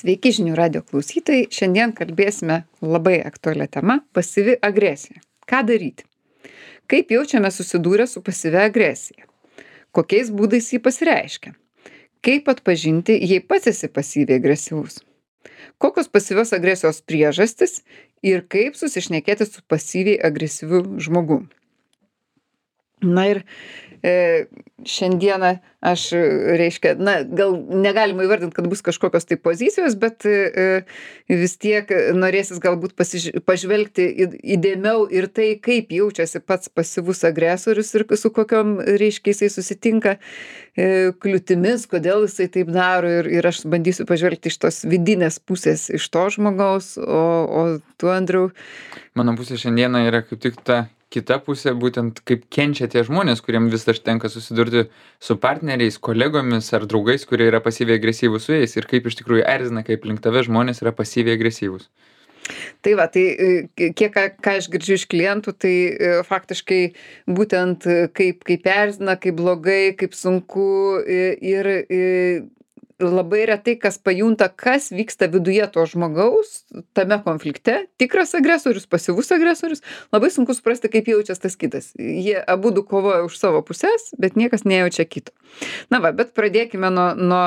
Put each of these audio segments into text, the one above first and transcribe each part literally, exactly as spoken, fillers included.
Sveiki žinių radijo klausytojai. Šiandien kalbėsime labai aktualią temą - pasyvi agresija. Ką daryti? Kaip jaučiame susidūrę su pasyvia agresija? Kokiais būdais jį pasireiškia? Kaip atpažinti, jei pats esi pasyviai agresyvus? Kokios pasyvios agresijos priežastis ir kaip susišnekėti su pasyviai agresyviu žmogum? Na ir e, šiandieną aš, reiškia, na, gal negalima įvardinti, kad bus kažkokios tai pozicijos, bet e, vis tiek norėsis galbūt pasiž... pažvelgti į- įdėmiau ir tai, kaip jaučiasi pats pasyvus agresorius ir su kokiom, reiškia, jisai susitinka e, kliūtimis, kodėl jisai taip daro ir, ir aš bandysiu pažvelgti iš tos vidinės pusės, iš to žmogaus, o, o tu, Andriau. Mano pusė šiandieną yra kaip tik ta kita pusė, būtent kaip kenčia tie žmonės, kuriem vis dar tenka susidurti su partneriais, kolegomis ar draugais, kurie yra pasyviai agresyvūs su jais ir kaip iš tikrųjų erzina, kaip link tave žmonės yra pasyviai agresyvūs. Tai va, tai e, kiek ką, ką aš girdžiu iš klientų, tai e, faktiškai būtent e, kaip, kaip erzina, kaip blogai, kaip sunku e, ir e, labai retai kas pajunta, kas vyksta viduje to žmogaus tame konflikte. Tikras agresorius, pasyvus agresorius. Labai sunku suprasti, kaip jaučiasi tas kitas. Jie abudu kovoja už savo pusės, bet niekas nejaučia kito. Na va, bet pradėkime nuo, nuo,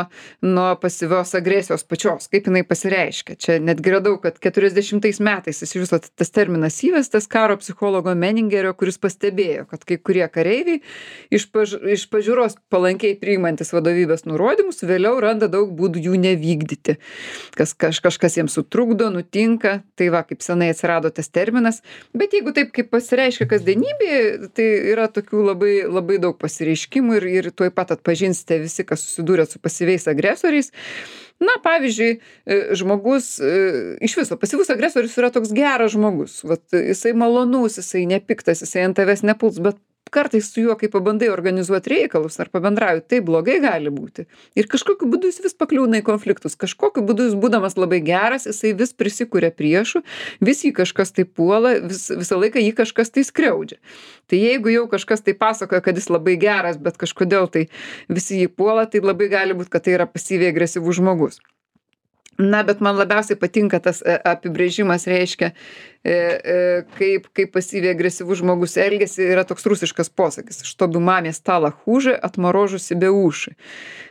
nuo pasyvios agresijos pačios, kaip jinai pasireiškia. Čia netgi radau, kad keturiasdešimtais metais iš viso tas terminas įvestas karo psichologo Meningerio, kuris pastebėjo, kad kai kurie kareiviai iš, paž, iš pažiūros palankiai priimantis vadovybės nurodymus, vėliau randa daug būdų jų nevykdyti. Kas, kaž, kažkas jiems sutrukdo, nutinka, tai va, kaip senai atsirado tas terminas. Bet jeigu taip kaip pasireiškia kasdienybėje, tai yra tokių labai, labai daug pasireiškimų ir, ir tuoj pat atpažinsite visi, kas susidūrė su pasyviais agresoriais. Na, pavyzdžiui, e, žmogus, e, iš viso, pasyvus agresorius yra toks geras žmogus. Vat, jisai malonus, jisai nepiktas, jisai ant tavęs nepuls, bet kartais su juo, kai pabandai organizuoti reikalus ar pabendrauji, tai blogai gali būti. Ir kažkokiu būdu jis vis pakliūna į konfliktus. Kažkokiu būdu jis būdamas labai geras, jisai vis prisikūrė priešų, vis jį kažkas tai puola, vis, visą laiką jį kažkas tai skriaudžia. Tai jeigu jau kažkas tai pasakoja, kad jis labai geras, bet kažkodėl tai visi jį puola, tai labai gali būti, kad tai yra pasyviai agresyvus žmogus. Na, bet man labiausiai patinka tas e, apibrėžimas, reiškia, e, e, kaip, kaip pasyviai agresyvus žmogus elgesi, yra toks rusiškas posakis. Чтобы маме стало хуже, отморожу себе уши.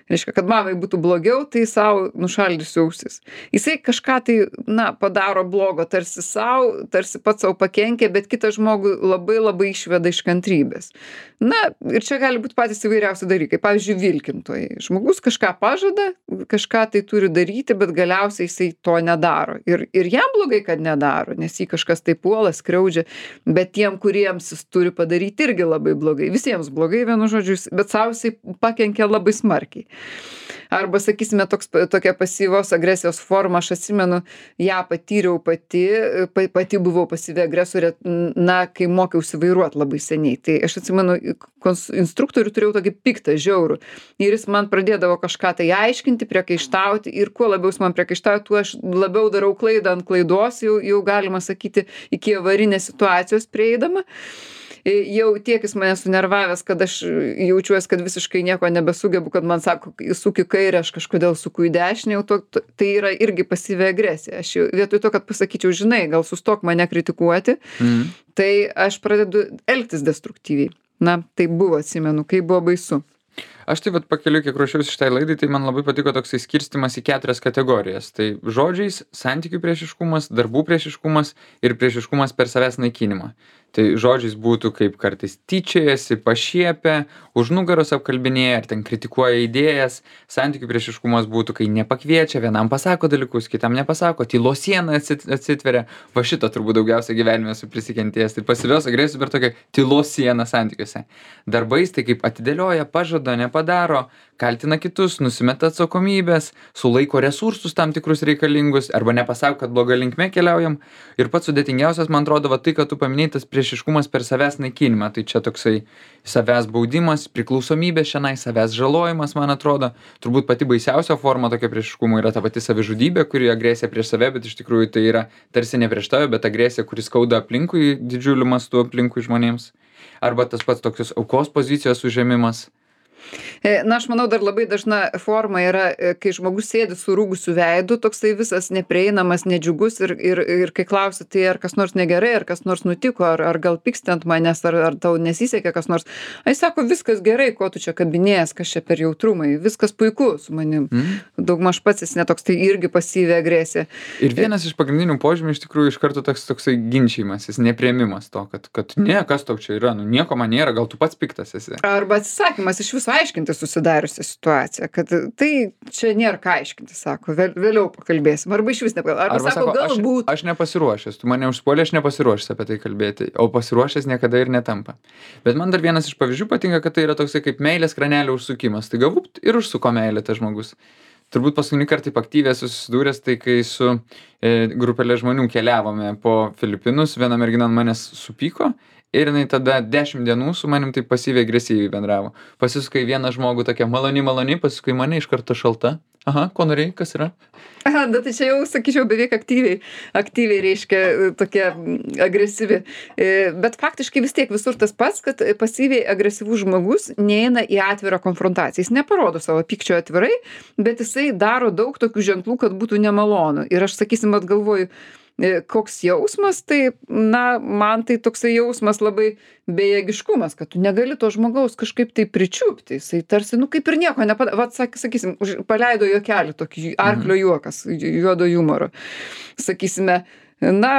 Reiškia, kad mamai būtų blogiau, tai savo nušaldysiu ausis. Jisai kažką tai, na, padaro blogo, tarsi savo, tarsi pats savo pakenkia, bet kitą žmogų labai labai išveda iš kantrybės. Na, ir čia gali būti patys įvairiausi dalykai. Pavyzdžiui, vilkintojai. Žmogus kažką pažada, kažką tai turi daryti, bet galiausiai jisai to nedaro. Ir, ir jam blogai, kad nedaro, nes jį kažkas tai puola, skriaudžia, bet tiem, kuriems jis turi padaryti, irgi labai blogai. Visiems blogai, vienu žodžiu, bet savo jisai pakenkia labai smarkiai. Arba, sakysime, toks, tokia pasyvios agresijos forma, aš atsimenu, ją patyriau pati, pa, pati buvau pasyvi agresorė, na, kai mokiausi vairuoti labai seniai. Tai aš atsimenu, kons, instruktorių turėjau tokį piktą, žiaurų. Ir jis man pradėdavo kažką tai aiškinti, priekaištauti ir kuo labiau jis man priekaištauja, tuo aš labiau darau klaidą ant klaidos, jau, jau galima sakyti, iki avarinės situacijos prieidama. Jau tiek jis mane sunervavęs, kad aš jaučiuosi, kad visiškai nieko nebesugebu, kad man sako, suki kairę, aš kažkodėl suku į dešinę, jau to, to, tai yra irgi pasyvi agresija. Aš jau, vietoj to, kad pasakyčiau, žinai, gal sustok mane kritikuoti, mm. tai aš pradedu elgtis destruktyviai. Na, tai buvo, atsimenu, kai buvo baisu. Aš taip pat pakeliu, kiek ruošiausi šitai laidai, tai man labai patiko toksai skirstimas į keturias kategorijas. Tai žodžiais, santykių priešiškumas, darbų priešiškumas ir priešiškumas per savęs naikinimą. Tai žodžiais būtų kaip kartais tyčiojasi, pašiepia, už nugaros apkalbinėja ar ten kritikuoja idėjas. Santykių priešiškumas būtų, kai nepakviečia, vienam pasako dalykus, kitam nepasako, tylos siena atsit, atsitveria. Va šito turbūt daugiausia gyvenime esu prisikentėjęs. Tai pasyvios agresijos per tokią tylos sieną santykiuose. Darbais tai kaip atidėlioja, pažada, nepadaro, kaltina kitus, nusimeta atsakomybės, sulaiko resursus tam tikrus reikalingus arba nepasako, kad bloga linkme keliaujam. Ir pats sudėtingiausias, man atrodo, va tai, kad tu paminėjai, tas priešiškumas per savęs naikinimą. Tai čia toksai savęs baudimas, priklausomybė šiandien, savęs žalojimas, man atrodo. Turbūt pati baisiausia forma tokio priešiškumo yra ta pati savižudybė, kuri agresija prieš save, bet iš tikrųjų tai yra tarsi ne prieš tave, bet agresija, kuri skauda aplinkui, didžiuliu mastu aplinkui žmonėms. Arba tas pats tokios aukos pozicijos užėmimas. E, Na, aš manau, dar labai dažna forma yra, e, kai žmogus sėdi surūgusiu veidu, toksai visas neprieinamas, nedžiugus ir, ir, ir kai klausi, tai ar kas nors negerai, ar kas nors nutiko, ar, ar gal pyksti ant manęs, ar, ar tau nesisekė kas nors. Ai sako, viskas gerai, ko tu čia kabinėjęs, kas čia per jautrumai, viskas puiku su manim. Mhm. Daugmaž pats jis netoks, tai irgi pasyvi agresija. Ir vienas iš pagrindinių požymių iš tikrųjų iš karto toks toksai ginčijimasis, nepriėmimas to, kad, kad ne, kas tau čia yra, nu nieko man nėra, gal tu pats piktas esi. Arba atsisakymas iš viso aiškinti susidariusią situaciją, kad tai čia nėra ką aiškinti, sako, vėl, vėliau pakalbėsim, arba iš vis nepakalbėsim, arba, arba sako, aš, galbūt. aš nepasiruošęs, tu mane užpuolė, aš nepasiruošęs apie tai kalbėti, o pasiruošęs niekada ir netampa. Bet man dar vienas iš pavyzdžių patinka, kad tai yra toksai kaip meilės kranelio užsukimas, tai galbūt ir užsuko meilę tas žmogus. Turbūt paskutinį kartą taip aktyviai susidūręs, tai kai su e, grupelė žmonių keliavome po Filipinus, viena mergina ant manęs supyko ir jinai tada dešimt dienų su manim taip pasyviai agresyviai bendravo. Pasisuka į vieną žmogų tokia maloni, maloni, pasisuka į mane iš karto šalta. Aha, ko norėjai, kas yra? Aha, bet tai čia jau, sakyčiau, beveik aktyviai, aktyviai reiškia tokia mm, agresyvi. E, Bet faktiškai vis tiek visur tas pats, kad pasyviai agresyvus žmogus neina į atvirą konfrontaciją. Jis neparodo savo pykčio atvirai, bet jisai daro daug tokių ženklų, kad būtų nemalonu. Ir aš, sakysim, atgalvoju, e, koks jausmas, tai, na, man tai toksai jausmas labai bejėgiškumas, kad tu negali to žmogaus kažkaip tai pričiupti. Jisai tarsi, nu, kaip ir nieko nepadarė. Vat, sak- sakysim, už- paleido juokelį, tokį arklio juokas, ju- juodo humoro. Sakysime, na,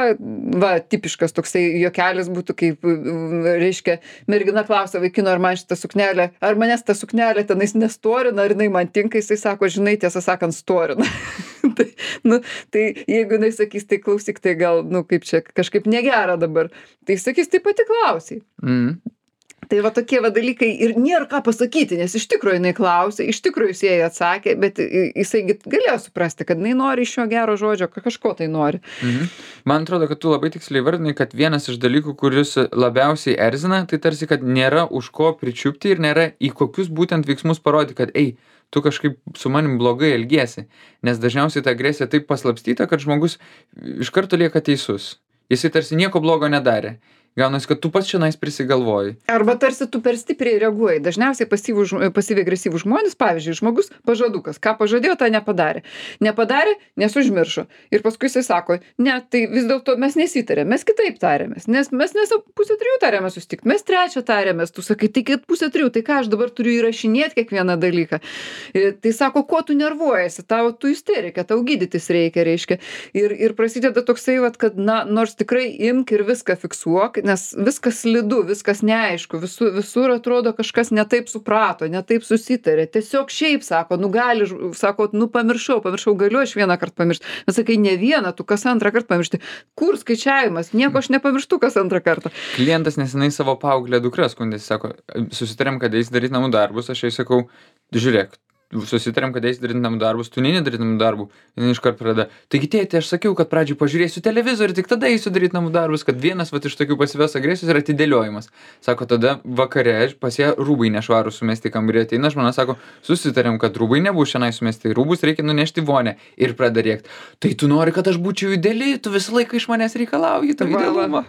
va, tipiškas toksai juokelis būtų, kaip, mm, reiškia, mergina klausia vaikino, ar man šitą suknelę, ar manęs ta suknelė tenais nestorina, ar jinai man tinka, jisai sako, žinai, tiesą sakant, storina. tai, nu, tai jeigu jinai sakys, tai klausyk, tai gal, nu, kaip čia, kažkaip negera dabar, tai sakys, tai pati klausiai. Mhm. Tai va tokie va dalykai ir nėra ką pasakyti, nes iš tikrųjų jinai klausė, iš tikrųjų jis jai atsakė, bet i- jisai gi galėjo suprasti, kad jinai nori iš jo gero žodžio, ka- kažko tai nori. Mhm. Man atrodo, kad tu labai tiksliai vardinai, kad vienas iš dalykų, kuris labiausiai erzina, tai tarsi, kad nėra už ko pričiupti ir nėra į kokius būtent veiksmus parodyti, kad ei, tu kažkaip su manim blogai elgiesi. Nes dažniausiai ta agresija taip paslapstyta, kad žmogus iš karto lieka teisus. Jisai tarsi nieko blogo nedarė. Gaunasi, kad tu pats šiandien prisigalvoji. Arba tarsi tu per stipriai reaguoji. Dažniausiai pasyvų žmo- pasyviai agresyvūs žmonės, pavyzdžiui, žmogus pažadukas, ką pažadėjo, tą nepadarė. Nepadarė, nes užmiršo. Ir paskui jisai sako, ne, tai vis dėlto mes nesitarėm, mes kitaip tarėmės, nes mes nes pusę trijų tarėmės susitikti, mes trečią tarėmės, tu sakai, tai kad pusę trijų, tai ką aš dabar turiu įrašinėti kiekvieną dalyką. E, Tai sako, ko tu nervuojasi, tau tu isterika, tau gydytis reikia, reiškia. Ir, ir prasideda toksai, vat, kad, na, nors tikrai imk ir viską fiksuok, nes viskas slidu, viskas neaišku, visur, visur atrodo kažkas netaip suprato, netaip susitarė. Tiesiog šiaip sako, nu gali, ž- sako, nu pamiršau, pamiršau, galiu aš vieną kartą pamiršti. Bet sakai, ne vieną, tu kas antrą kartą pamiršti. Kur skaičiavimas? Nieko aš nepamirštu kas antrą kartą. Klientas nesenai savo paauglę dukrą skundėsi, sako, susitarėm, kad eis daryti namų darbus, aš jai sakau, žiūrėk, susitarėm, kad eis daryti namų darbus, tu neini daryti namų darbų. Jis iškart pradeda. Taigi tėti, aš sakiau, kad pradžiai pažiūrėsiu televizorių, tik tada eisiu daryti namų darbus, kad vienas vat, iš tokių pasyvios agresijos yra atidėliojimas. Sako, tada vakare pas ją rūbai nešvarų sumesti į kambarį, ateina žmona, sako, susitarėm, kad rūbai nebus šiandien sumesti, rūbus reikia nunešti į vonę ir pradeda rėkti. Tai tu nori, kad aš būčiau ideali, tu visą laiką iš manęs reikalauji, to Va, va. idealumo.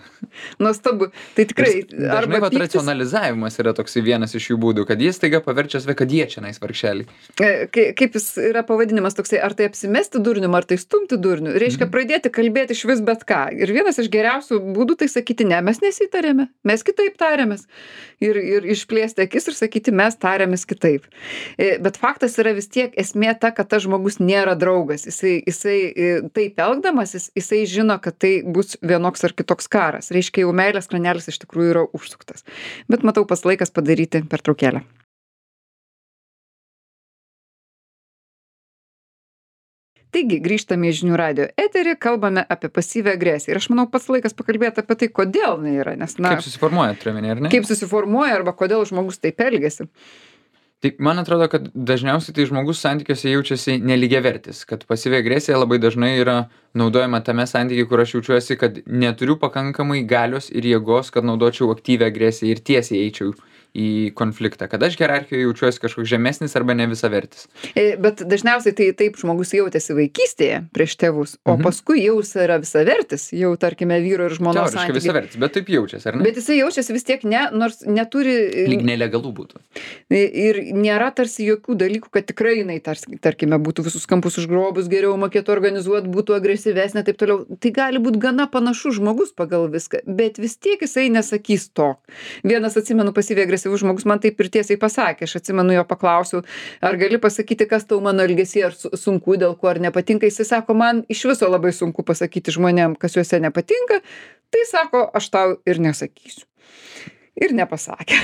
Nuostabu. Tai tikrai, Dažnai vat pyktis- racionalizavimas yra toksai vienas iš jų būdų, kad jis taiga paverčia save, kad jie čia nais vargšeliai. E, kai- kaip jis yra pavadinimas toksai, ar tai apsimesti durnium, ar tai stumti durniu, reiškia pradėti kalbėti iš vis bet ką. Ir vienas iš geriausių būdų tai sakyti, ne, mes nesitarėme, mes kitaip tarėmės. Ir, ir išplėsti akis ir sakyti, mes tarėmės kitaip. E, Bet faktas yra vis tiek esmė ta, kad tas žmogus nėra draugas. Jisai, jisai e, taip elgdamasis, jisai žino, kad tai bus vienoks ar kitoks karas. Reiškia, jau meilės kranelis iš tikrųjų yra užsuktas. Bet matau, pas laikas padaryti pertraukėlę. Taigi, grįžtame į žinių radio eterį, kalbame apie pasyvią agresiją. Ir aš manau, pats laikas pakalbėti apie tai, kodėl jinai yra. Nes, na, Kaip susiformuoja, turiuomenė, ar ne? kaip susiformuoja arba kodėl žmogus taip elgesi. Tai man atrodo, kad dažniausiai tai žmogus santykiuose jaučiasi nelygiavertis, kad pasyvi agresija labai dažnai yra naudojama tame santykiai, kur aš jaučiuosi, kad neturiu pakankamai galios ir jėgos, kad naudočiau aktyvią agresiją ir tiesiai eičiau į konfliktą, kad aš hierarchijoje jaučiuosi kažkoks žemesnis arba ne visavertis. E, Bet dažniausiai tai taip žmogus jautėsi vaikystėje prieš tėvus, o Mhm. paskui jau jis yra visavertis, jau tarkime vyro ir žmonos Teoriškai santykiai. visavertis, bet taip jaučiasi, ar ne? Bet jisai jaučiasi vis tiek ne, nors neturi Lyg nelegalų būtų. ir nėra tarsi jokių dalykų, kad tikrai jinai, tars, tarkime, būtų visus kampus užgrobus, geriau mokėtų organizuoti, būtų agresyvesnė, taip toliau. Tai gali būti gana panašus žmogus pagal viską, bet vis tiek jisai nesakys to. Vienas, atsimenu, pasyviai agresyvus žmogus man taip ir tiesiai pasakė, aš atsimenu jo paklausiau, ar gali pasakyti, kas tau mano elgesį, ar su- sunku, dėl ko ar nepatinka. Jisai sako, man iš viso labai sunku pasakyti žmonėm, kas juose nepatinka, tai sako, aš tau ir nesakysiu. Ir nepasakė.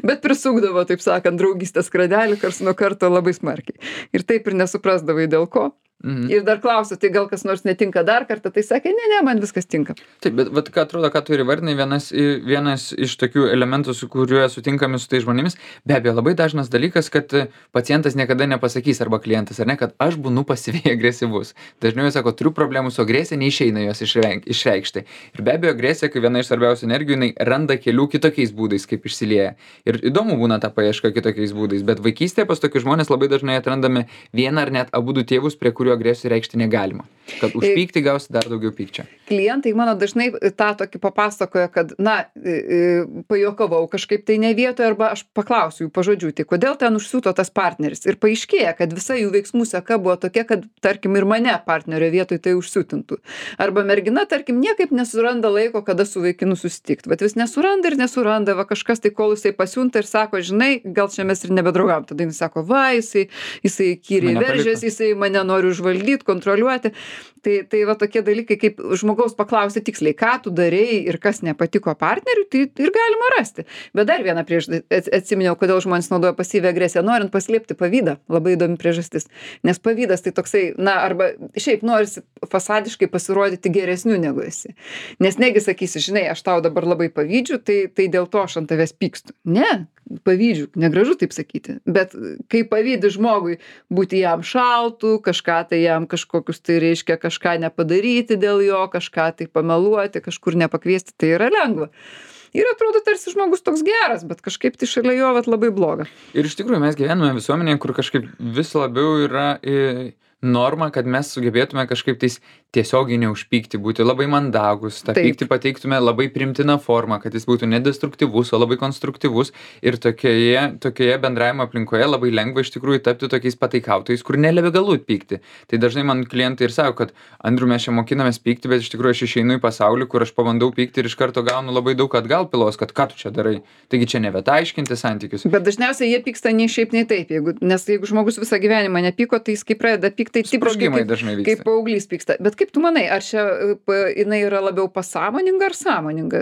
Bet prisukdavo, taip sakant, draugystės kradelį kars nuo karto labai smarkiai. Ir taip ir nesuprasdavai dėl ko. Mhm. Ir dar klausiu, tai gal kas nors netinka dar kartą, tai sakė, ne, ne, man viskas tinka. Taip, bet vat, ką atrodo, ką tu ir įvardinai, vienas, i- vienas iš tokių elementų, su kuriuo sutinkami su tai žmonėmis, be abejo, labai dažnas dalykas, kad e, pacientas niekada nepasakys arba klientas, ar ne, kad aš būnu pasyviai agresyvus. Dažniau jis sako, turiu problemų su agresija, neišeina jos išreik- išreikšti. Ir be abejo, agresija, kai viena iš svarbiausių energijų, jinai randa kelių kitokiais būdais, kaip išsilieja. Ir įdomu būna ta paieška kitokiais būdais, bet vaikystėje pas tokius žmonės labai dažnai atrandame vieną ar net abu du tėvus, prie kurių agresijų reikšti negalima. Kad už pyktį gausi dar daugiau pykčio. Klientai mano dažnai tą tokį papasakoja, kad, na, e, e, pajokavau kažkaip tai ne vietoje, arba aš paklausiu jų pažodžių, tai kodėl ten užsiūto tas partneris. Ir paaiškėja, kad visa jų veiksmų seka buvo tokia, kad, tarkim, ir mane partnerio vietoj tai užsiūtintų. Arba mergina, tarkim, niekaip nesuranda laiko, kada su vaikinu susitikti. Bet vis nesuranda ir nesuranda, va kažkas tai, kol jisai pasiunta ir sako, žinai, gal čia mes ir nebedraugam. Tada jis sako, va, jisai, jisai kyriai Mane paliko. veržėsi, jisai mane nori užvaldyti, kontroliuoti. Tai, tai va tokie dalykai, kaip žmogaus paklausti tiksliai, ką tu darei ir kas nepatiko partneriui, tai ir galima rasti. Bet dar vieną priežastį atsiminiau, kodėl žmonės naudoja pasyvią agresiją, norint paslėpti pavydą. Labai įdomi priežastis. Nes pavydas tai toksai, na, arba šiaip norisi fasadiškai pasirodyti geresniu negu esi. Nes negi sakysi, žinai, aš tau dabar labai pavydžiu, tai, tai dėl to aš ant tavęs pykstu. Ne, pavydžiu, negražu taip sakyti. Bet kai pavydi žmogui būti jam šaltų, kažką tai jam kažkokius tai reiškia, kažką nepadaryti dėl jo, kažką tai pameluoti, kažkur nepakviesti, tai yra lengva. Ir atrodo tarsi žmogus toks geras, bet kažkaip tai šalia jo vat labai bloga. Ir iš tikrųjų mes gyvename visuomenėje, kur kažkaip vis labiau yra e, norma, kad mes sugebėtume kažkaip tais tiesiogiai neužpykti, būti labai mandagus, tą Taip. pyktį pateiktume labai primtiną formą, kad jis būtų nedestruktyvus, o labai konstruktyvus. Ir tokioje, tokioje bendravimo aplinkoje labai lengva iš tikrųjų tapti tokiais pataikautojais, kur nelegalu pykti. Tai dažnai man klientai ir sako, kad Andriu, mes čia mokinamės pykti, bet iš tikrųjų aš išeinu į pasaulį, kur aš pabandau pykti ir iš karto gaunu labai daug atgal pilos, kad ką tu čia darai. Taigi čia nevieta aiškinti santykius. Bet dažniausiai jie pyksta nei šiaip, nei taip. Jeigu, nes jeigu žmogus visą gyvenimą nepyko, tai jis kai pradeda pykti, tai tipiškai Sprogimai kaip, dažnai vyksta. kaip paauglys pyksta. Bet kaip tu manai, ar čia e, pa- jinai yra labiau pasąmoninga ar sąmoninga?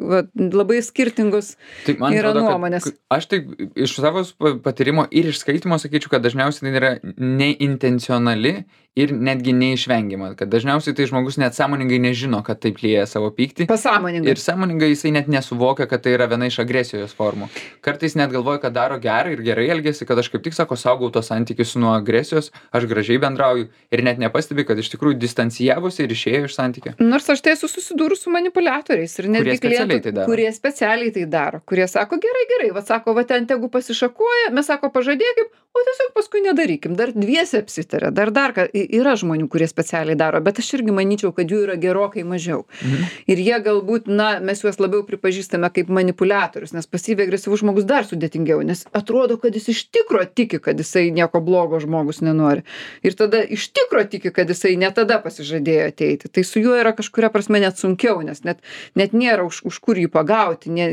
Va, labai skirtingos Tai man yra atrodo, nuomonės. kad aš taip iš savo pa- patyrimo ir iš skaitimo sakyčiau, kad dažniausiai tai yra neintencionali ir netgi neišvengiama. Kad dažniausiai tai žmogus net sąmoningai nežino, kad taip lieja savo pyktį. Pasąmoninga. Ir sąmoningai jisai net nesuvokia, kad tai yra viena iš agresijos formų. Kartais net galvoja, kad daro gerą ir gerai elgesi, kad aš kaip tik sako, saugau tos santykius nuo agresijos, aš gražiai bendrauju ir net nepastebi, kad iš tikrųjų distancijavosi ir išėjo iš santykio. Nors aš tai esu susidūrus su manipuliatoriais ir netgi Kurie specialiai klientų, tai daro. kurie specialiai tai daro, kurie sako, gerai, gerai, va sako, va ten tegu pasišakoja, mes sako, pažadėkim, o tiesiog paskui nedarykim, dar dviese apsitarė, dar dar ką, I- yra žmonių, kurie specialiai daro, bet aš irgi manyčiau, kad jų yra gerokai mažiau. Mhm. Ir jie galbūt, na, mes juos labiau pripažįstame kaip manipuliatorius, nes pasyviai agresyvus žmogus dar sudėtingiau, nes atrodo, kad jis iš tikro tiki, kad jisai nieko blogo žmogus nenori. Ir tada iš tikro tiki, kad jisai ne tada pasižadėjo ateiti. Tai su juo yra kažkuria prasme net sunkiau, nes net, net nėra už, už kur jį pagauti, ne,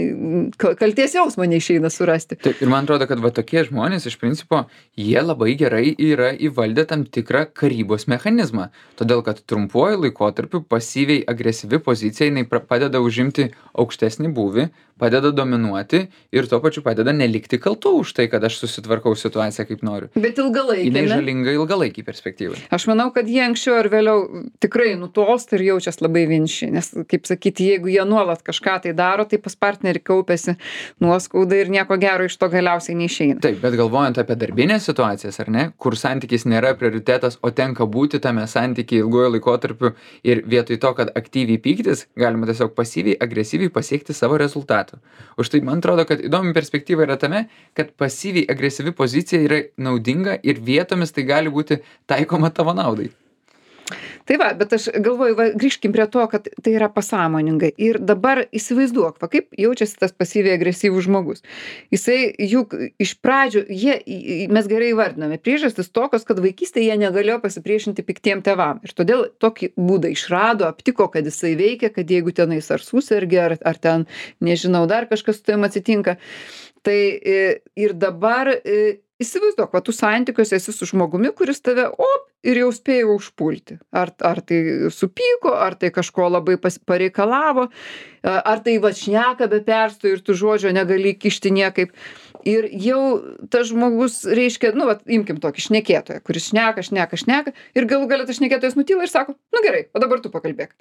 ka- kaltės jausmo neišeina surasti. Taip, ir man atrodo, kad va tokie žmonės iš principo, jie labai gerai yra įvaldę tam tikrą karybos mechanizmą. Todėl, kad trumpuoju laikotarpiu pasyviai agresyvi pozicija, jinai pra- padeda užimti aukštesnį būvį, padeda dominuoti ir tuo pačiu padeda nelikti kaltu už tai, kad aš susitvarkau situaciją kaip noriu. Bet Jinai ilgalaikėme. žalinga ilgalaikį perspektyvai. Aš manau, kad jie anksčiau ar vėliau tikrai nutolsta ir jaučias labai vieniši, nes, kaip sakyti, jeigu jie nuolat kažką tai daro, tai pas partnerį kaupiasi nuoskauda ir nieko gero iš to galiausiai neišeina. Taip, bet galvojant apie darbinės situacijas, ar ne, kur santykis nėra prioritetas, o tenka būti tame santykiai ilguoju laikotarpiu ir vietoj to, kad aktyviai pyktis, galima tiesiog pasyviai, agresyviai pasiekti savo rezultatą. metų. Už tai man atrodo, kad įdomi perspektyva yra tame, kad pasyviai agresyvi pozicija yra naudinga ir vietomis tai gali būti taikoma tavo naudai. Tai va, bet aš galvoju, va, grįžkim prie to, kad tai yra pasąmoningai. Ir dabar įsivaizduok, va, kaip jaučiasi tas pasyviai agresyvus žmogus. Jisai juk iš pradžių, jie, mes gerai įvardiname, priežastis tokios, kad vaikystėje jie negalėjo pasipriešinti piktiem tėvam. Ir todėl tokį būdą išrado, aptiko, kad jisai veikia, kad jeigu tenais ar susergi, ar, ar ten, nežinau, dar kažkas su tavim atsitinka. Tai ir dabar įsivaizduok, va, tu santykiuose esi su žmogumi, kuris tave, op, ir jau spėjo užpulti. Ar, ar tai supyko, ar tai kažko labai pas, pareikalavo, ar tai va šneka be perstojo ir tu žodžio negali kišti niekaip. Ir jau tas žmogus reiškia, nu, va, imkim tokį šnekėtoją, kuris šneka, šneka, šneka, ir galų galia tas šnekėtojas nutyla ir sako, nu gerai, o dabar tu pakalbėk.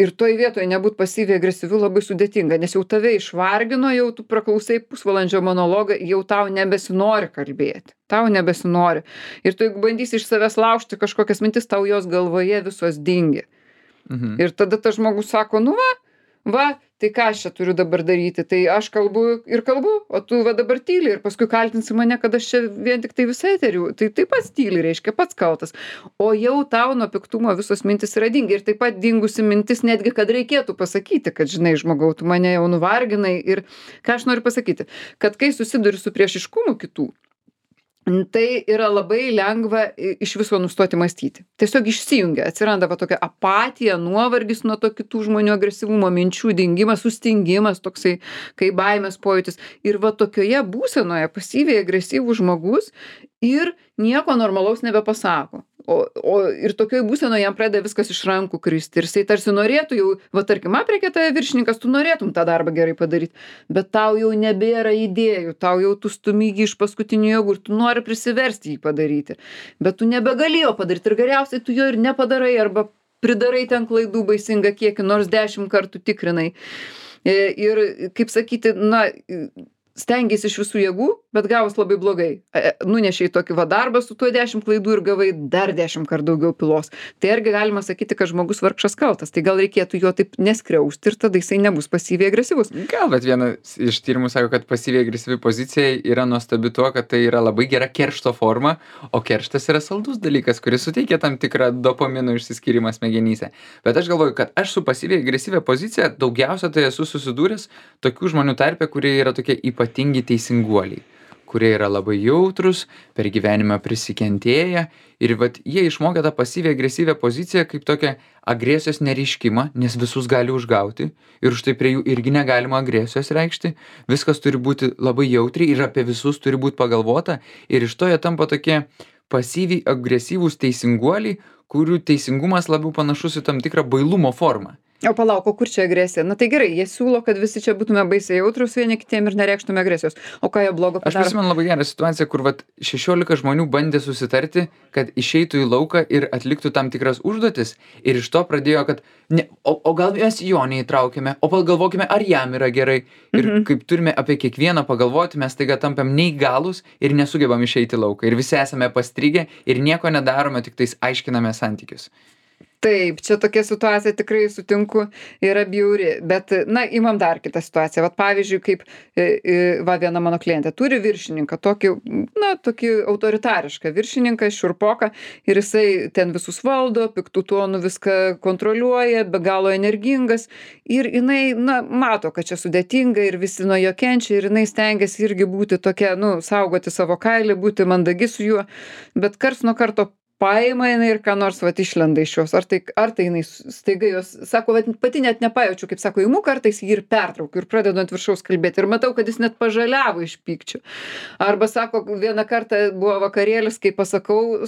Ir toj vietoje nebūt pasyviai agresyviu labai sudėtinga, nes jau tave išvargino, jau tu praklausai pusvalandžio monologą, jau tau nebesinori kalbėti. Tau nebesinori. Ir tu jeigu bandysi iš savęs laužti kažkokias mintis, tau jos galvoje visos dingi. Mhm. Ir tada tas žmogus sako, nu va, va, tai ką aš čia turiu dabar daryti, tai aš kalbu ir kalbu, o tu va dabar tyli ir paskui kaltinsi mane, kad aš čia vien tik tai visai tariu, tai taip pat tyli, reiškia, pats kaltas. O jau tau nuo piktumo visos mintis yra dingi ir taip pat dingusi mintis netgi, kad reikėtų pasakyti, kad žinai, žmogau, tu mane jau nuvarginai ir ką aš noriu pasakyti, kad kai susiduri su priešiškumu kitų, tai yra labai lengva iš viso nustoti mąstyti. Tiesiog išsijungia, atsiranda va tokia apatija, nuovargis nuo to kitų žmonių agresyvumo, minčių dingimas, sustingimas, toksai kaip baimės pojūtis. Ir va tokioje būsenoje pasyviai agresyvus žmogus ir nieko normalaus nebepasako. O, o ir tokioj būsenoje jam pradeda viskas iš rankų kristi. Ir jisai tarsi norėtų jau, va tarkim, aprėkė tave viršininkas, tu norėtum tą darbą gerai padaryti, bet tau jau nebėra idėjų, tau jau tu stumygi iš paskutinių jėgų ir tu nori prisiversti jį padaryti. Bet tu nebegalėjo padaryti ir geriausiai tu jo ir nepadarai arba pridarai ten klaidų baisingą kiekį, nors dešimt kartų tikrinai. Ir, kaip sakyti, na, stengiasi iš visų jėgų, bet gavos labai blogai. Nunešiai tokį va darbą su tuo dešimt klaidų ir gavai dar dešimt kart daugiau pilos. Tai argi galima sakyti, kad žmogus vargšas kaltas. Tai gal reikėtų jo taip neskriausti ir tada jisai nebus pasyviai agresyvus. Gal, bet vienas iš tyrimų sako, kad pasyviai agresyvi pozicija yra nuostabi tuo, kad tai yra labai gera keršto forma, o kerštas yra saldus dalykas, kuris suteikia tam tikrą dopamino išsiskyrimą smegenyse. Bet aš galvoju, kad aš su pasyviai agresyvia pozicija daugiausia tai esu susidūręs tokių žmonių tarpe, kurie yra tokie ypatingi teisinguoliai, kurie yra labai jautrus, per gyvenimą prisikentėję ir vat jie išmokė tą pasyviai agresyvią poziciją kaip tokią agresijos nereiškimą, nes visus gali užgauti ir už tai prie jų irgi negalima agresijos reikšti, viskas turi būti labai jautriai ir apie visus turi būti pagalvota ir iš to jie tampa tokie pasyviai agresyvūs teisinguoliai, kurių teisingumas labiau panašus į tam tikrą bailumo formą. O palauk, o kur čia agresija? Na tai gerai, jie siūlo, kad visi čia būtume baisiai jautrus vieni kitiem ir nereikštume agresijos. O ką jie blogo Aš padaro? prisimenu labai gerą situaciją, kur vat šešiolika žmonių bandė susitarti, kad išeitų į lauką ir atliktų tam tikras užduotis ir iš to pradėjo, kad ne, o, o gal mes jo neįtraukėme, o pagalvokime, ar jam yra gerai. Ir Mhm. kaip turime apie kiekvieną pagalvoti, mes taiga tampam neįgalus ir nesugebam išeiti į lauką. Ir visi esame pastrigę ir nieko nedarome, tik tais aiškiname santykius. Taip, čia tokia situacija tikrai sutinku yra bjauri, bet, na, imam dar kitą situaciją. Vat pavyzdžiui, kaip, e, e, va, viena mano klientė turi viršininką, tokį, na, tokį autoritarišką viršininką, šiurpoką, ir jisai ten visus valdo, piktų tonų viską kontroliuoja, be galo energingas, ir jinai, na, mato, kad čia sudėtinga ir visi nuo jo kenčia, ir jinai stengiasi irgi būti tokia, nu, saugoti savo kailį, būti mandagi su juo, bet karts nuo karto paima jinai ir ką nors vat išlenda iš jos. Ar tai, ar tai jinai staiga jos, sako, vat pati net nepajaučiu, kaip sako, imu kartais jį ir pertraukiu ir pradedu ant viršaus kalbėti. Ir matau, kad jis net pažaliavo iš pykčio. Arba sako, vieną kartą buvo vakarėlis, kai pasakau,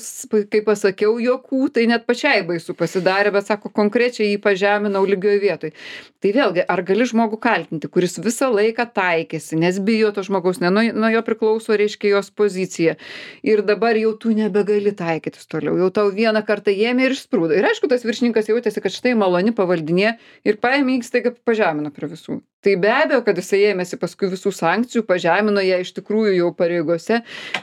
kai pasakiau jokų, tai net pačiai baisu pasidarė, bet sako, konkrečiai jį pažeminau lygioj vietoj. Tai vėlgi, ar gali žmogų kaltinti, kuris visą laiką taikėsi, nes bijo to žmogaus, ne nuo, nuo jo priklauso, reiškia, jos pozicija. Ir dabar jau tu nebegali taikytis toliau. Jau tau vieną kartą ėmė ir išsprūdo. Ir aišku, tas viršininkas jautėsi, kad štai maloni pavaldinė ir paėmė jį staiga pažemino prie visų. Tai be abejo, kad jisai ėmėsi paskui visų sankcijų, pažemino ją iš tikrųjų jau pareigose,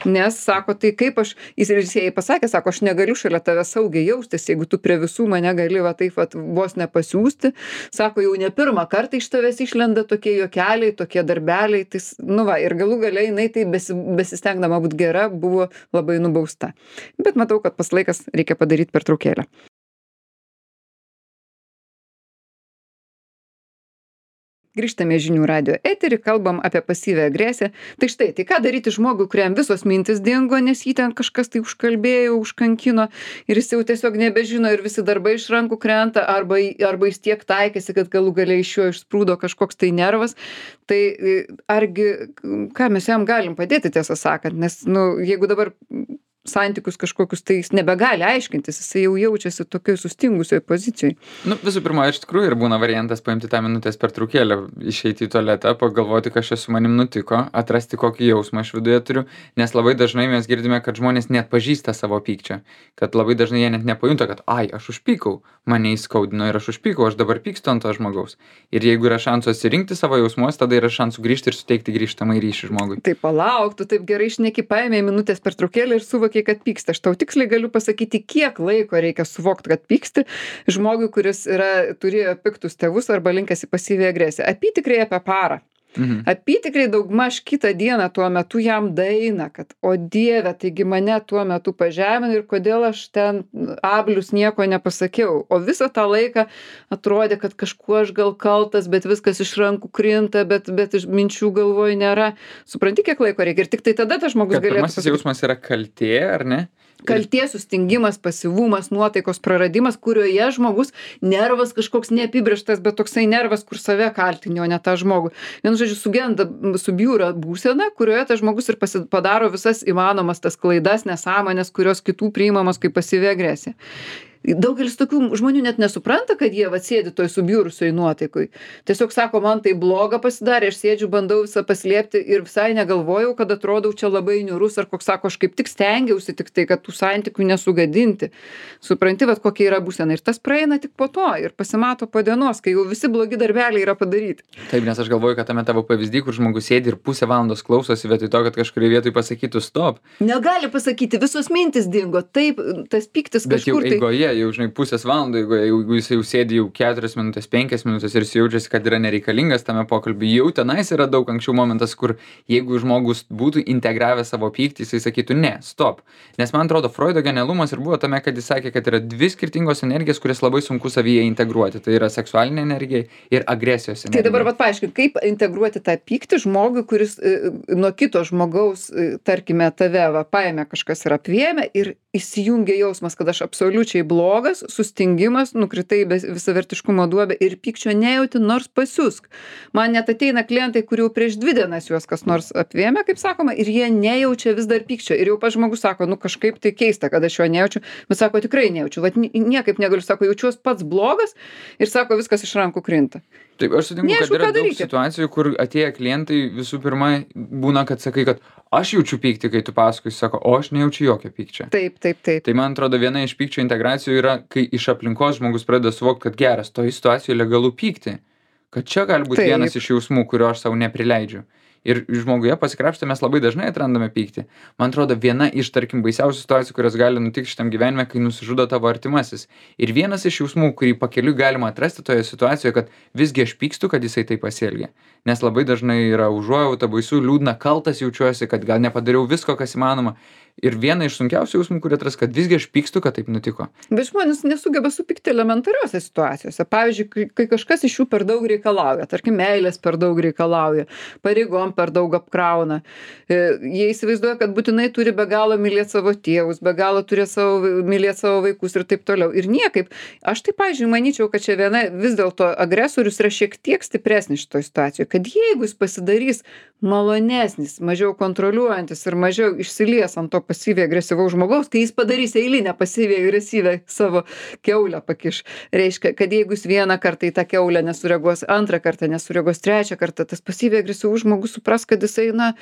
nes sako, tai kaip aš, jis ir jai pasakė, sako, aš negaliu šalia tave saugiai jaustis, jeigu tu prie visų mane gali va taip va vos nepasiūsti. Sako, jau ne pirmą kartą iš tavęs išlenda tokie juokeliai, tokie darbeliai, tai, nu va, ir galų galiai jinai tai besi, besistengdama būti gera buvo labai nubausta. Bet matau, kad pas laikas reikia padaryti pertraukėlę. Grįžtame žinių radio eterį, kalbam apie pasyvią agresiją. Tai štai, tai ką daryti žmogui, kuriam visos mintis dingo, nes jį ten kažkas tai užkalbėjo, užkankino ir jis jau tiesiog nebežino ir visi darbai iš rankų krenta, arba, arba jis tiek taikėsi, kad galų galiai iš jo išsprūdo kažkoks tai nervas. Tai argi, ką mes jam galim padėti, tiesą sakant, nes, nu, jeigu dabar santykius kažkokius, tai jis nebegali aiškintis, jis jau jaučiasi tokioj sustingusioj pozicijoj. Nu, visų pirma, iš tikrųjų ir būna variantas paimti tą minutės pertraukėlę, išeiti į tualetą, pagalvoti, kas čia su manim nutiko, atrasti kokį jausmą aš viduje turiu, nes labai dažnai mes girdime, kad žmonės net pažįsta savo pykčio, kad labai dažnai jie net nepajunta, kad ai, aš užpykau, mane įskaudino ir aš užpykau, aš dabar pykstu ant to žmogaus. Ir jeigu yra šansų atsirinkti savo jausmus, tada yra šansų grįžti ir suteikti grįžtamą ryšį žmogui. Tai palauk, tu taip gerai šneki, paėmė minutės pertraukėlę ir suvokė, kad pyksta. Aš tau tiksliai galiu pasakyti, kiek laiko reikia suvokti, kad pyksti žmogui, kuris yra, turėjo piktus tėvus arba linkęs į pasyvią agresiją. Apytikriai apie parą. Mhm. Apytikriai daugmaž kitą dieną tuo metu jam daeina, kad o Dieve, taigi mane tuo metu pažemino ir kodėl aš ten ablius nieko nepasakiau. O visą tą laiką atrodė, kad kažkuo aš gal kaltas, bet viskas iš rankų krinta, bet, bet iš minčių galvoj nėra. Supranti, kiek laiko reikia? Ir tik tai tada tas žmogus galėtų pasakyti. Pirmasis jausmas yra kaltė, ar ne? Kaltė, sustingimas, pasyvumas, nuotaikos praradimas, kurioje žmogus nervas kažkoks neapibrėžtas, bet toksai nervas, kur save kaltini, o ne tą žmogų. Vienu žodžiu, sugenda, subjūra būsena, kurioje tas žmogus ir pasi, padaro visas įmanomas tas klaidas, nesąmonės, kurios kitų priimamos kaip pasyvi agresija. Daugelis tokių žmonių net nesupranta, kad jie atsėdi toj subjūrusioj nuotaikoj. Tiesiog sako, man tai bloga pasidarė, aš sėdžiu, bandau visą paslėpti ir visai negalvojau, kad atrodau čia labai niūrus, ar koks sako, aš kaip tik stengiausi tik tai, kad tų santykių nesugadinti. Supranti, vat kokia yra būsena. Ir tas praeina tik po to ir pasimato po dienos, kai jau visi blogi darbeliai yra padaryti. Taip, nes aš galvoju, kad tame tavo pavyzdį, kur žmogus sėdi ir pusę valandos klausosi vietoj to, kad kažkurioje vietoje pasakytų stop. Negali pasakyti, visos mintis dingo. Taip, tas pyktis kažkur tai... Eigoje, jau, žinai, pusės valandų, jeigu, jeigu jis jau sėdi jau keturias minutės, penkias minutės ir jis jaučiasi, kad yra nereikalingas tame pokalbį, jau tenais yra daug anksčiau momentas, kur jeigu žmogus būtų integravę savo pyktį, jisai sakytų, ne, stop. Nes man atrodo, Freudo genialumas ir buvo tame, kad jis sakė, kad yra dvi skirtingos energijos, kurias labai sunku savyje integruoti. Tai yra seksualinė energija ir agresijos energija. Tai dabar vat paaiškink, kaip integruoti tą pyktį žmogui, kuris e, nuo kito žmogaus, e, tarkime, tave va, paėmė kažkas ir apvėmė ir įsijungia jausmas, kad aš absoliučiai blogas, sustingimas, nukritai visavertiškumo duobę ir pykčio nejauti, nors pasiusk. Man net ateina klientai, kurių prieš dvi dienas juos kas nors apvėmė, kaip sakoma, ir jie nejaučia vis dar pykčio. Ir jau pas žmogus sako, nu kažkaip tai keista, kad aš jo nejaučiu, bet sako, tikrai nejaučiu. Vat niekaip negaliu, sako, jaučiuos pats blogas ir sako, viskas iš rankų krinta. Taip, aš sutinku, kad yra daug situacijų, kur atėję klientai visų pirma būna, kad sakai, kad aš jaučiu pyktį, kai tu pasakoji, sako, o aš nejaučiu jokio pykčio. Taip, taip, taip. Tai man atrodo, viena iš pykčio integracijų yra, kai iš aplinkos žmogus pradeda suvokti, kad geras, toje situacijoje legalu pykti. Kad čia gali būti taip. Vienas iš jausmų, kurio aš savo neprileidžiu. Ir žmoguje pasikrapštę mes labai dažnai atrandame pyktį. Man atrodo, viena iš, tarkim, baisiausių situacijų, kurios gali nutikti šitam gyvenime, kai nusižudo tavo artimasis. Ir vienas iš jausmų, kurį pakeliui galima atrasti toje situacijoje, kad visgi aš pykstu, kad jisai taip pasielgė. Nes labai dažnai yra užuojauta, baisu, liūdna, kaltas jaučiuosi, kad gal nepadariau visko, kas įmanoma. Ir viena iš sunkiausių jausmų, kurie atras, kad visgi aš pykstu, kad taip nutiko. Bet žmonės nesugeba supykti elementariuose situacijose. Pavyzdžiui, kai, kai kažkas iš jų per daug reikalauja, tarkim, meilės per daug reikalauja, pareigom per daug apkrauna. Jie įsivaizduoja, kad būtinai turi be galo mylėti savo tėvus, be galo turi savo, mylėti savo vaikus ir taip toliau. Ir niekaip. Aš tai, pavyzdžiui, manyčiau, kad čia viena vis dėlto agresorius yra šiek tiek stipresnis šitoje situacijoje. Kad jeigu jis pasidarys malonesnis, mažiau kontroliuojantis ir mažiau išsilies ant to pasyviai agresyvaus žmogaus, kai jis padarys eilinę pasyviai agresyvią savo kiaulę pakiš. Reiškia, kad jeigu jis vieną kartą į tą kiaulę nesureaguos, antrą kartą nesureaguos, trečią kartą, tas pasyviai agresyvus žmogus supras, kad jisai, na,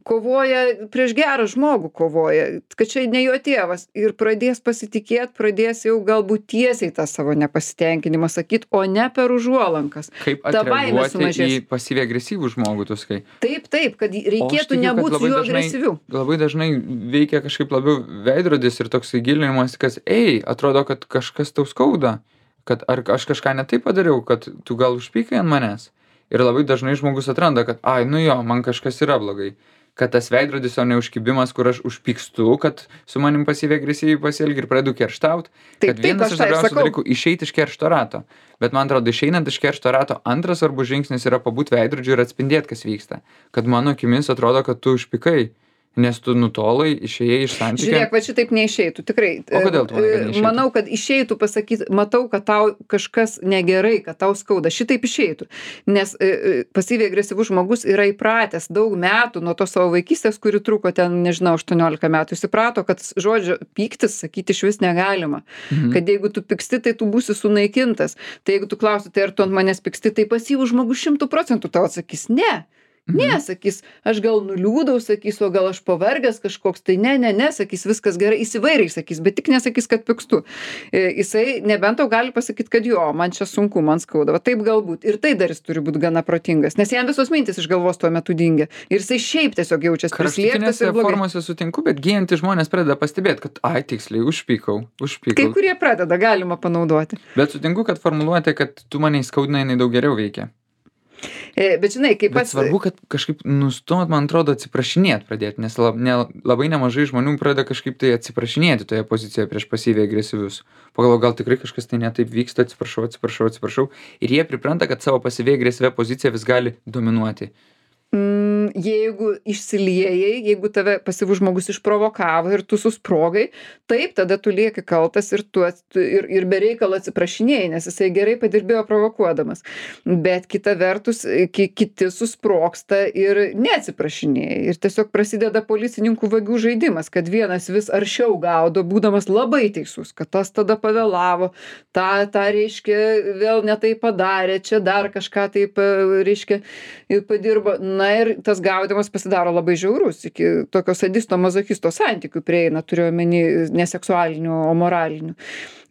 kovoja prieš gerą žmogų, kovoja, kad čia ne jo tėvas ir pradės pasitikėti, pradės jau galbūt tiesiai tą savo nepasitenkinimą sakyti, o ne per užuolankas. Kaip atreaguoti į pasyviai agresyvų žmogų, tu sakai? Taip, taip, kad reikėtų nebūti su juo agresyviu. Labai dažnai veikia kažkaip labiau veidrodis ir toks įgilinimas, kad, ei, atrodo, kad kažkas tau skauda, kad ar aš kažką ne taip padariau, kad tu gal užpykai ant manęs. Ir labai dažnai žmogus atranda, kad, ai, nu jo, man kažkas yra blogai. Kad tas veidrodis, o ne užkibimas, kur aš užpykstu, kad su manim pasyviai agresyviai pasielgi ir pradedu kerštaut. Kad vienas iš svarbiausių dalykų - išeiti iš keršto rato. Bet man atrodo, išeinant iš keršto rato, antras svarbus žingsnis yra pabūti veidrodžiu ir atspindėti, kas vyksta. Kad mano akimis atrodo, kad tu užpykai. Nes tu nutolai, išėjai iš santykių. Žiūrėk, va šitaip neišeitų, tikrai. O kodėl tu manai, kad neišeitų? Manau, kad išeitų pasakyti, matau, kad tau kažkas negerai, kad tau skauda. Šitaip išeitų. Nes e, pasyviai agresyvus žmogus yra įpratęs daug metų nuo to savo vaikystės, kuri truko ten, nežinau, aštuoniolika metų. Jis įprato, kad žodžio pyktis sakyti iš vis negalima. Mhm. Kad jeigu tu pyksti, tai tu būsi sunaikintas. Tai jeigu tu klausi, tai ar tu ant manęs pyksti, tai pasyvus žmogus šimtų procentų tau atsakys ne. Ne, sakys, aš gal nuliūdau, sakys, o gal aš pavargęs kažkoks, tai ne, ne, ne, sakys, viskas gerai, įsivairiai sakys, bet tik nesakys, kad pykstu. E, jisai nebent tau gali pasakyti, kad jo, man čia sunku, man skauda, va taip galbūt. Ir tai dar jis turi būti gana protingas, nes jam visos mintis iš galvos tuo metu dingia. Ir jisai šiaip tiesiog jaučiasi prislėgtas ir blogai. Formose sutinku, bet gyjantys žmonės pradeda pastebėti, kad, ai, tiksliai, užpykau, užpykau. Kai kurie pradeda, galima panaudoti. Bet sutinku, kad formuluotė, kad tu mane įskaudinai, jinai daug geriau veikia. E, bet žinai, kaip pats... Bet svarbu, kad kažkaip nustumot, man atrodo, atsiprašinėt pradėti, nes lab, ne, labai nemažai žmonių pradeda kažkaip tai atsiprašinėti toje pozicijoje prieš pasyviai agresyvius. Pagalvo, gal tikrai kažkas tai netaip vyksta, atsiprašau, atsiprašau, atsiprašau. Ir jie pripranta, kad savo pasyviai agresyvę poziciją vis gali dominuoti. Mm, jeigu išsiliejai, jeigu tave pasyvus žmogus išprovokavo ir tu susprogai, taip, tada tu lieki kaltas ir, tu, ir, ir be reikalo atsiprašinėjai, nes jisai gerai padirbėjo provokuodamas. Bet kita vertus, ki, kiti susprogsta ir neatsiprašinėjai. Ir tiesiog prasideda policininkų vagių žaidimas, kad vienas vis aršiau gaudo, būdamas labai teisus, kad tas tada pavėlavo, tą, tą reiškia, vėl netai padarė, čia dar kažką taip, reiškia, padirbo. Na ir tas gaudimas pasidaro labai žiaurus, iki tokio sadisto mazochisto santykių prieina, turiu omeny ne seksualinių, o moralinių.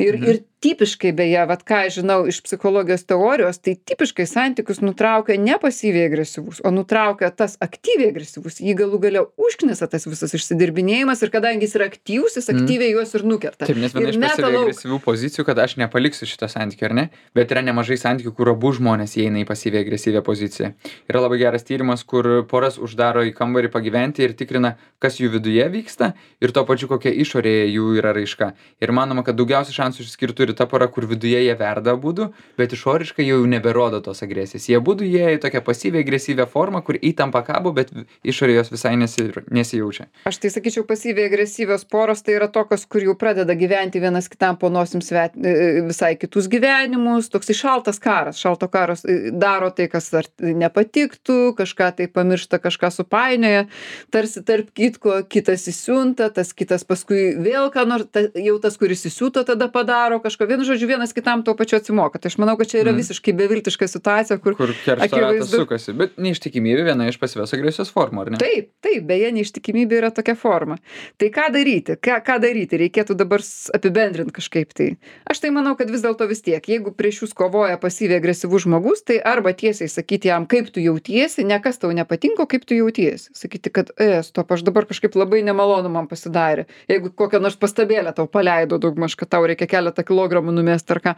Ir, mhm. ir tipiškai, beje, vat ką aš žinau iš psichologijos teorijos, tai tipiškai santykius nutraukia ne pasyviai agresyvus, o nutraukia tas aktyviai agresyvus. Jį galų galia užknisa tas visas išsidirbinėjimas ir kadangi jis yra aktyvus, jis aktyviai mm. juos ir nukerta. Taip, nes viena iš pasyviai agresyvių pozicijų, kad aš nepaliksiu šitą santykį, ar ne? Bet yra nemažai santykių, kur abu žmonės įeina į pasyviai agresyvią poziciją. Yra labai geras tyrimas, kur poras uždaro į kambarį pagyventi ir tikrina, kas jų viduje vyksta ir tuo pačiu kokia išorėje jų yra raiška. Ir manoma, kad daugiausiai šansų išskirtų ir ta pora, kur viduje jie verda abudu, bet išoriškai jau neberodo tos agresijos. Jie abudu jie į tokią pasyviai agresyvią formą, kur įtampa kabo, bet išorėje jos visai nesi, nesijaučia. Aš tai sakyčiau, pasyviai agresyvios poros tai yra tokios, kur jau pradeda gyventi vienas kitam po nosim svet, visai kitus gyvenimus, toks šaltas karas. Šalto karas daro tai, kas ar nepatiktų, kažką tai pamiršta, kažką supainioja, tarsi tarp kitko kitas įsiunta, tas kitas paskui vėl ką nors, ta, jau tas, kuris įsiūto, tada padaro kažko. Vienu žodžiu, vienas kitam tuo pačiu atsimoka. Tai aš manau, kad čia yra mm. visiškai beviltiška situacija, kur... Kur keršto ratas sukasi. Bet neištikimybė viena iš pasyvios agresijos formų, ar ne? Taip, taip, beje, neištikimybė yra tokia forma. Tai ką daryti? Ką, ką daryti? Reikėtų dabar apibendrinti kažkaip tai. Aš tai manau, kad vis dėlto vis tiek, jeigu prieš jūs kovoja pasyviai agresyvus žmogus, tai arba tiesiai sakyti jam, kaip tu jautiesi, ne kas tau nepatinka, kaip tu jautiesi. Sakyti, kad, e, stop, aš dabar kažkaip labai nemalonu man pasidarė. Jeigu kokią nors pastabėlę tau paleido daugmaž, kad tau reikia keletą kilogramų numest ar ką.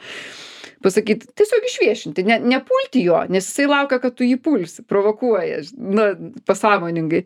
Pasakyti, tiesiog išviešinti, ne, nepulti jo, nes jisai laukia, kad tu jį pulsi, provokuoja, na, pasąmoningai.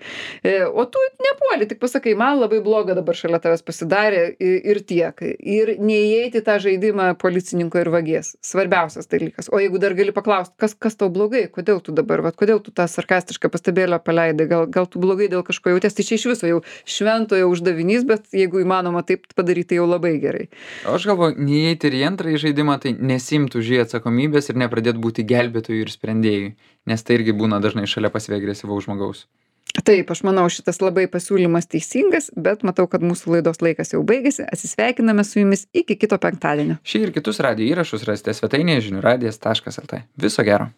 E, o tu nepuoli, tik pasakai, man labai bloga dabar šalia tavęs pasidarė ir, ir tiek. Ir neįeiti tą žaidimą policininko ir vagies. Svarbiausias dalykas. O jeigu dar gali paklausti, kas, kas tau blogai, kodėl tu dabar, vat, kodėl tu tą sarkastišką pastabėlę paleidai, gal, gal tu blogai dėl kažko jautės, tai čia iš viso jau šventojo uždavinys, bet jeigu įmanoma taip padaryti, tai jau labai gerai. O aš galvoju, neįeiti ir į antrąjį žaidimą, tai nesimti už jį atsakomybės ir nepradėt būti gelbėtojų ir sprendėjų, nes tai irgi būna dažnai šalia pasyviai agresyvaus žmogaus. Taip, aš manau, šitas labai pasiūlymas teisingas, bet matau, kad mūsų laidos laikas jau baigėsi. Atsisveikiname su jumis iki kito penktadienio. Šį ir kitus radijo įrašus rasite svetainėje žinių radijas taškas lt. Viso gero.